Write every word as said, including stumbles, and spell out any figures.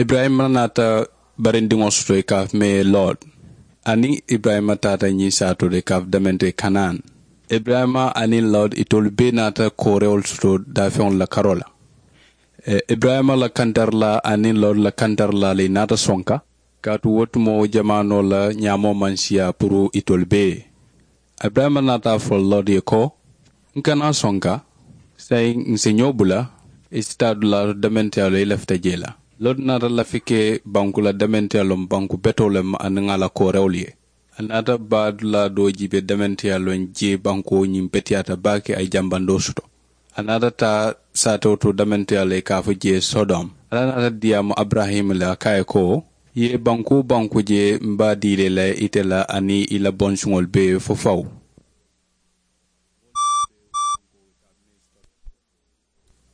Iburayima naata barindiŋo soto i ka a fo mee lord. Aniŋ iburayima taata ñiŋ saatoo to i ka a fo demente kanaan. Iburayima aniŋ lord itolu bee naata koorewolu soto daafeŋolu la karoo la. Iburayima la kantarilaa aniŋ lord la kantarilaa le i naata sonka. Kaatu wo tumoo jamaanoo la ñaamoo maŋ siyaa puru itolu bee. Iburayima naata a fo lord ye ko, n kana sonka. Saayiŋ n si ñoo bula. I si taa dulaa to dementeyaalu ye i lafita jee la. Lord naata lafi ke banku la dementeyaa loŋ banku betoo le ma aniŋ a la koorewolu ye. A naata baa dulaa doo jiibe dementeyaa loŋ jee bankoo ñiŋ beteyaata baake a ye jambandoo soto. A naata taa saatewo to dementeyaa le i ka a fo jee sodom. Alla naata diyaamu aburahima le a ka a ye ko, i ye banku wo banku je, m̀ be a dii la i la ite la aniŋ i la bonsuŋolu bee fo fawu.